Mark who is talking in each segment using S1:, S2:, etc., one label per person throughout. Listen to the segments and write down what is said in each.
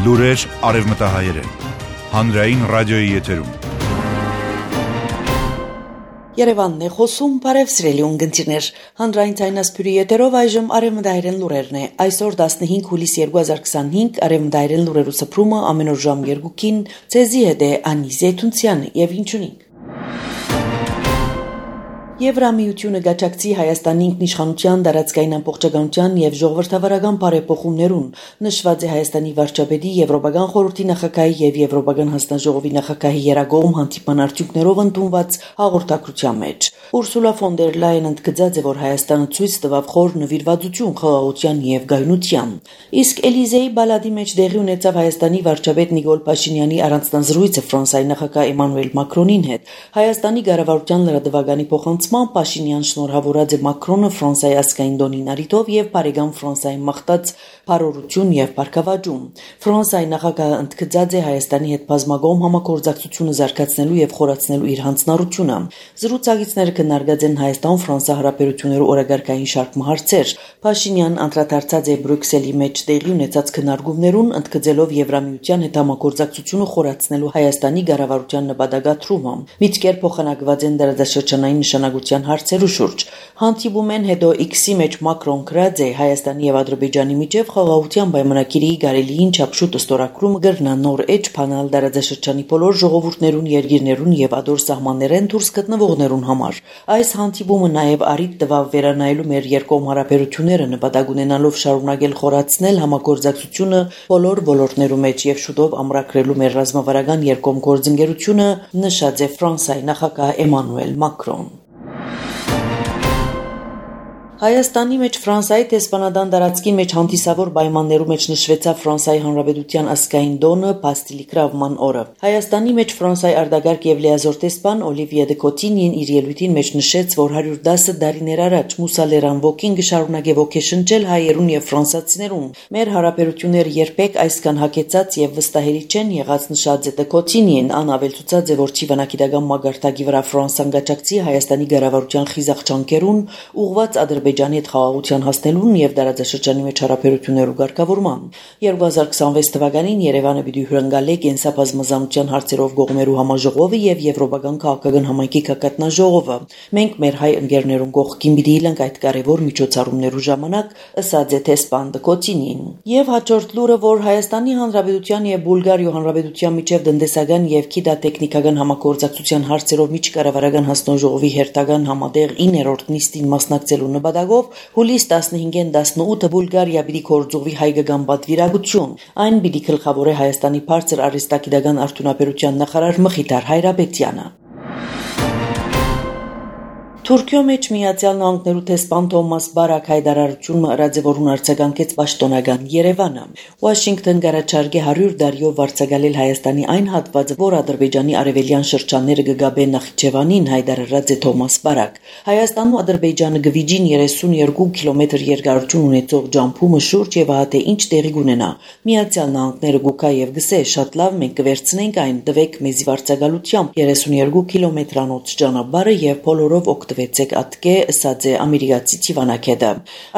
S1: Լուրեր արևմտահայերեն, հանրային ռադիոյի եթերում։
S2: Երևանն է խոսում, բարև սիրելի ունգընտիրներ, հանրային ցայնասպյուրի եթերով այժմ արևմտահայերեն լուրերն է, այսօր 15 հուլիս 2025 արևմտահայերեն լուրերու սփռումը ամեն օր ժամ 2-ին, ցեզի հետ է Անի Զեյթունցյան եւ ինչունի։ Եվրամիությունը գաչակցի Հայաստանի ինքնիշխանության, դարածքային ամբողջականության եւ ժողովրդավարական բարեփոխումներուն, նշված է Հայաստանի վարչապետի, Եվրոպական խորհրդի նախագահի եւ Եվրոպական հանձնաժողովի նախագահի երագողմ հանդիպման արդյունքներով ընդունված հաղորդակցության մեջ։ Ուրսուլա ֆոն դեր Լայեն ընդգծած է, որ Հայաստանը ցույց տվավ խոր նվիրվածություն խաղաղության եւ գայունության։ Իսկ Էլիզեի բալադի մեջ դեղի ունեցավ Հայաստանի վարչապետ Նիկոլ Փաշինյանի առանձնազրույցը Ֆրանսիայի նախագահ Էմանուել Մակրոնին հետ։ Հայաստանի կառավարության լրատվականի փոխանցման Փաշինյան շնորհավորած է Մակրոնը Ֆրանսիայի ազգային դոնին արիտով եւ բարեկամ Ֆրանսիայի մաղթած բարօրություն եւ բարգավաճում։ Ֆրանսիայի նախագահը ընդգծած է Հայաստանի հետ բազմագոմ համագործակցությունը զարգացնելու եւ խորացնելու իր հանձնառությունը։ Զրուցակիցները քննարկած են Հայաստան-Ֆրանսիա հարաբերությունների օրագարկային շարք հարցեր։ Փաշինյան անդրադարձած է Բրյուսելի մեջ տեղի ունեցած քննարկումներուն, ընդգծելով Եվրամիության հետ համագործակցությունը խորացնելու Հայաստանի կառավարության նպատակադրումը։ Միտքեր փոխանակված են դարաշրջանային նշանակության հարցերու շուրջ։ Հանդիպումեն հետո X-ի մեջ Մակրոն գրած է Հայաստանի եւ Ադրբեջանի միջև խաղաղության պայմանագիրի գարելիին չափշուտ ստորագրումը գրնա նոր էջ փանալ դարաշրջանի բոլոր ժողովուրդներուն, երկիրներուն եւ ադոր սահմաններեն դուրս գտնվողներուն համար։ Այս հանդիպումը նաեւ առիթ տվավ վերանայելու մեր երկկողմ հարաբերությունները նպատակ ունենալով շարունակել խորացնել համագործակցությունը բոլոր ոլորտներու մեջ եւ շուտով ամրագրելու մեր ռազմավարական երկկողմ գործընկերությունը, նշած է Ֆրանսիայի նախագահ Էմանուել Մակրոն։ Հայաստանի մեջ Ֆրանսիայի տեսփանադան դարածքի մեջ հանդիսավոր պայմաններու մեջ նշվեցավ Ֆրանսիայի Հանրապետության ազգային տոնը Բաստիլի գրավման օրը։ Հայաստանի մեջ Ֆրանսիայի արտագաղթ եւ լիազոր տեսփան Օլիվիե դե Կոտինին իր ելույթին մեջ նշեց, որ 110 տարիներ առաջ Մուսալերան ոգին կշարունակե ոգեշնչել հայերուն եւ ֆրանսիացիներուն։ Մեր հարաբերությունները երբեք այսքան հակեցած եւ վստահելի չեն եղած, նշած է դե Կոտինին, անավելցուցած է, որ ճիվանագիտական մագարտակի վրա Ֆրանսիան գաչակցի Հայաստանի կառավարության խիզախ ջանքերուն ուղղված Ադրբեջանի հետ խաղաղության հասնելուն եւ դարաշրջանի մեջ հարաբերություններու ղեկավարման։ 2026 թվականին Երևանը պիտի հյուրընկալի կենսաբազմազանության հարցերով գողմերու համաժողովը եւ Եվրոպական քաղաքական համայնքի կակատնաժողովը։ Մենք մեր հայ ընկերներուն կողքին պիտի լինենք այդ կարևոր միջոցառումներու ժամանակ, ըսած է տեսփան դե Կոտինին։ Եվ հաջորդ լուրը, որ Հայաստանի Հանրապետության եւ Բուլղարիա Հանրապետության միջև տնտեսական եւ գիտատեխնիկական համագործակցության հարցերով միջկառավարական հանձնաժողովի հերթական համատեղ 9-րդ նիստին մասնակցելու նպատակով հուլիս 15-ին 18-ը Բուլղարիա պիտի կորձողվի հայկական պատվիրակություն։ Այն պիտի գլխավորե Հայաստանի բարձր արհեստագիտական արդյունաբերության նախարար Մխիթար Հայրապետյանը։ Թուրքիո մեջ Միացյալ Նահանգներու տեսփան Թոմաս Բարակ հայտարարությունը ըրաձևորուն արձագանքեց պաշտոնական Երևանը։ Վաշինգտոն գարաչարգե 100 տարիով վարձակալել Հայաստանի այն հատվածը, որ Ադրբեջանի արևելյան շրջանները կգաբեն Նախիջևանին, հայտարարած է Թոմաս Բարակ։ Հայաստանն ու Ադրբեջանը գվիջին 32 կիլոմետր երկարություն ունեցող ջամփումը շուրջ եւ հա թե ինչ տեղի կունենա։ Միացյալ Նահանգները գուկա եւ գսե շատ լավ մենք կվերցնենք այն, տվեք մեզի վարձակալությամբ 32 կիլոմետրանոց ճանապարհը եւ բոլորով վեցեք ատկե, ըսած է ամերիկացի Տիվանակեդը։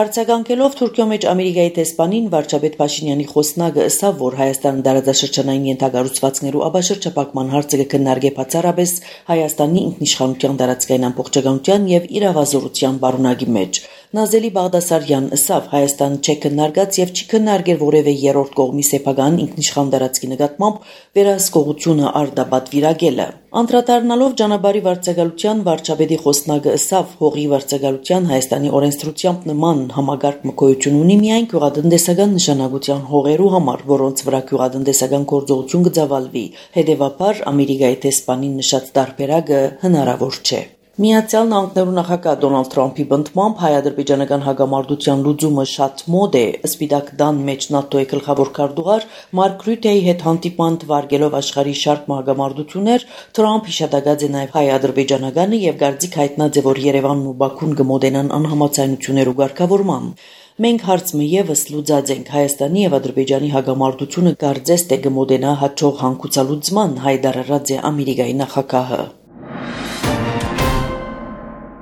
S2: Արձագանքելով Թուրքիո մեջ Ամերիկայի տեսփանին վարչապետ Փաշինյանի խոսնակը ըսավ, որ Հայաստանը դարաշրջանային ենթակառուցվածքներու աբաշրջապակման հարցը կքննարկե բացառապես Հայաստանի ինքնիշխանության դարածքային ամբողջականության եւ իրավազորության բարունակի մեջ։ Նազելի Բաղդասարյան ըսավ, Հայաստանը չէ քննարկած եւ չի քննարկել որևէ երրորդ կողմի սեփական ինքնիշխան դարածքի նկատմամբ վերահսկողությունը արդաբատվիրակելը։ Անդրադառնալով ճանապարհի վարձակալության վարչապետի խոսնակը ըսավ, հողի վարձակալության Հայաստանի օրենսդրությամբ նման համագարկ մկոյություն ունի միայն գյուղատնտեսական նշանակության հողերու համար, որոնց վրա գյուղատնտեսական գործողություն կձավալվի։ Հետևաբար Ամերիկայի տեսփանին նշած տարբերակը հնարավոր չէ։ Միացյալ Նահանգներու նախագահ Դոնալդ Թրամփի բնդմամբ հայ-ադրբեջանական հագամարտության լուծումը շատ մոդ է, Սպիտակ տան մեջ ՆԱՏՕ-ի գլխավոր քարտուղար Մարկ Ռյուտեի հետ հանդիպան թվարկելով աշխարհի շարք մահագամարտություններ, Թրամփ հիշատակած է նաև հայ-ադրբեջանականը եւ գարձիկ հայտնած է, որ Երևանն ու Բաքուն կմոտենան անհամաձայնություններու ղեկավարման։ Մենք հարցը եւս լուծած ենք Հայաստանի եւ Ադրբեջանի հագամարտությունը կարծես թե կմոտենա հաջող հանգուցալուծման, հայտարարած է Ամերիկայի նախագահը։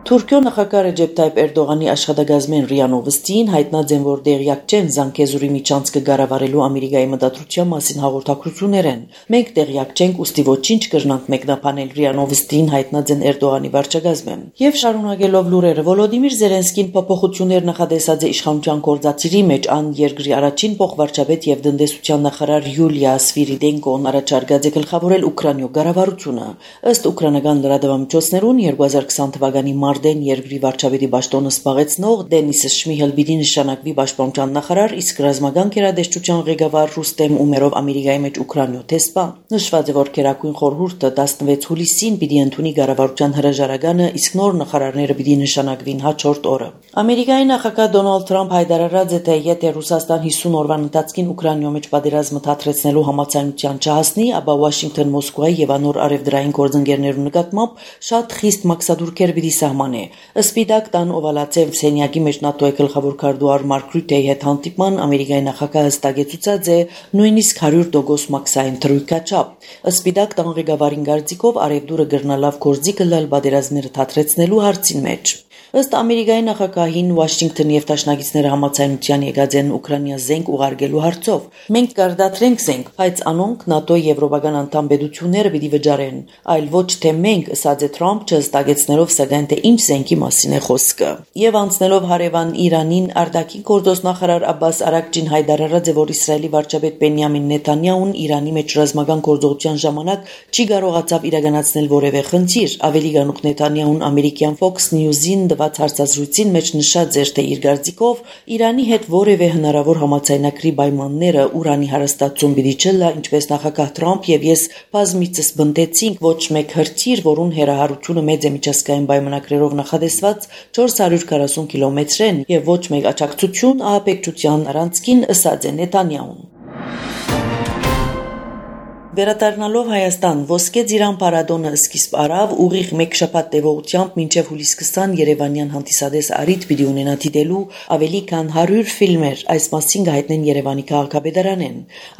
S2: Թուրքիո նախագահ Ռեջեփ Թայիփ Էրդողանի աշխատակազմեն ՌԻԱ Նովոստիին հայտնած են, որ դեղյակ չեն Զանգեզուրի միջանցքը կառավարելու Ամերիկայի մտադրության մասին հաղորդակցություններ են։ Մենք դեղյակ չենք, ուստի ոչինչ կրնանք մեկնաբանել ՌԻԱ Նովոստիին հայտնած են Էրդողանի վարչակազմեն։ Եվ շարունակելով լուրերը, Վոլոդիմիր Զելենսկին փոփոխություններ նախադեсած է իշխանության կորձացիրի մեջ ան երկրի առաջին փոխվարչապետ եւ տնտեսության նախարար Յուլիա Սվիրիդենկոն առաջարկած է գլխավորել Ուկրաինո կառավարությունը։ Ըստ ուկրաինական լրատվամիջոցներուն 2020 թվականի Արդեն երկրի վարչապետի պաշտոնը զբաղեցնող Դենիս Շմիհել պիտի նշանակվի պաշտպանության նախարար, իսկ ռազմական գերատեսչության ղեկավար Ռուստեմ Ումերով Ամերիկայի մեջ Ուկրաինո տեսփան։ Նշված է, որ Գերագույն խորհուրդը 16 հուլիսին պիտի ընդունի կառավարության հրաժարականը, իսկ նոր նախարարները պիտի նշանակվին հաջորդ օրը։ Ամերիկայի նախագահ Դոնալդ Թրամփ հայտարարած է, թե եթե Ռուսաստան 50 օրվան ընթացքին Ուկրաինո մեջ պատերազմը թատրեցնելու համաձայնության չհասնի, ապա Վաշինգտոն, Մոսկվայի եւ անոր արևդրային գործընկերներու նկատմամբ շատ խիստ մաքսադուրքեր պիտի սահմանե։ Սպիտակ տան օվալացև սենյակի մեջ ՆԱՏՕ-ի գլխավոր քարտուղար Մարկ Ռյուտեի հետ հանդիպման Ամերիկայի նախագահը հստակեցուցած է նույնիսկ 100% մաքսային թրույկաչափ։ Սպիտակ տան ղեկավարին կարծիքով արևդուրը գրնալավ գործի կլալ պատերազմները թատրեցնելու հարցին մեջ։ Ըստ Ամերիկայի նախագահին Վաշինգտոնի եւ Դաշնակիցները համաձայնության եկած են Ուկրաինա զենք ուղարկելու հարցով։ Մենք կարտադրենք զենք, բայց անոնք ՆԱՏՕ-ի եվրոպական անդամ պետությունները պիտի վճարեն, այլ ոչ թե մենք, ըստ Թրամփ չհստակեցնելով սակայն թե ինչ զենքի մասին է խոսքը։ Եվ անցնելով հարևան Իրանին, արտաքին գործոստ նախարար Աբբաս Արաքչին հայտարարած է, որ Իսրայելի վարչապետ Բենյամին Նեթանյահուն Իրանի մեջ ռազմական գործողության ժամանակ չի կարողացավ իրականացնել որևէ խնդիր։ Ավելի գանուխ Նեթանյահուն ամերիկյան Fox News-ին հարցազրույցին մեջ նշած էր, թե իր կարծիքով Իրանի հետ որևէ հնարավոր համաձայնագրի պայմանները Ուրանի հարստացում պիտի չլա, ինչպես նախագահ Թրամփ եւ ես բազմիցս բնդեցինք, ոչ մեկ հրթիռ, որուն հեռահարությունը մեծ է միջազգային պայմանագրերով նախադեсված 440 կիլոմետրեն եւ ոչ մեկ աջակցություն ահաբեկչության առանցքին, ըսած է Նեթանյահուն։ Վերադառնալով Հայաստան, Ոսկե Ծիրան փառատոնը սկիզբ առավ ուղիղ մեկ շաբաթ տևողությամբ մինչև հուլիս 20 Երևանյան հանդիսադես առիթ պիտի ունենա դիտելու ավելի քան 100 ֆիլմեր, այս մասին կհայտնեն Երևանի քաղաքապետարանեն։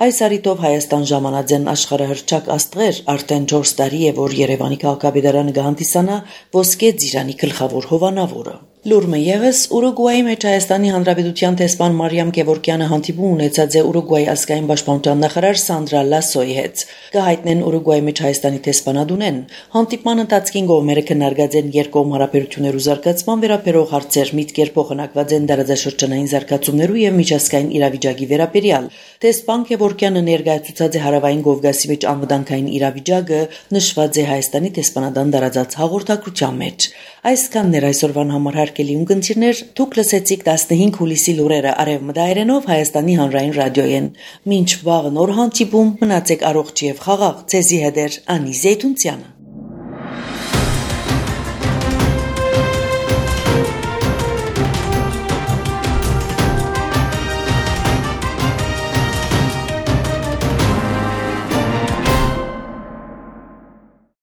S2: Այս առիթով Հայաստան ժամանած են աշխարհահռչակ աստղեր, արդեն 4 տարի է, որ Երևանի քաղաքապետարանը կհանդիսանա Ոսկե Ծիրանի գլխավոր հովանավորը։ Լուրը ևս Ուրուգվայի մեջ Հայաստանի Հանրապետության տեսփան Մարիամ Գևորգյանը հանդիպում ունեցած է Ուրուգվայի ազգային պաշտպանության նախարար Սանդրա Լասոյի հետ։ Կհայտնեն Ուրուգվայի մեջ Հայաստանի տեսփանադունեն։ Հանդիպման ընթացքին կողմերը քննարկած են երկկողմ հարաբերություններու զարգացման վերաբերող հարցեր, միտքեր փոխանակված են տարածաշրջանային զարգացումներու եւ միջազգային իրավիճակի վերաբերյալ։ Տեսփան Գևորգյանը ներկայացուցած է Հարավային Կովկասի մեջ անվտանգային իրավիճակը, նշված է Հայաստանի տեսփանադան տարածած հաղորդակցության մեջ։ Այսքանն էր այսօրվան համար հարգելի ունկնդիրներ, դուք լսեցիք 15 հուլիսի լուրերը արևմտայերենով Հայաստանի հանրային ռադիոյեն։ Մինչ վաղ նոր հանդիպում, մնացեք առողջ եւ խաղաղ, ցեզի հետ է Անի Զեյթունցյանը։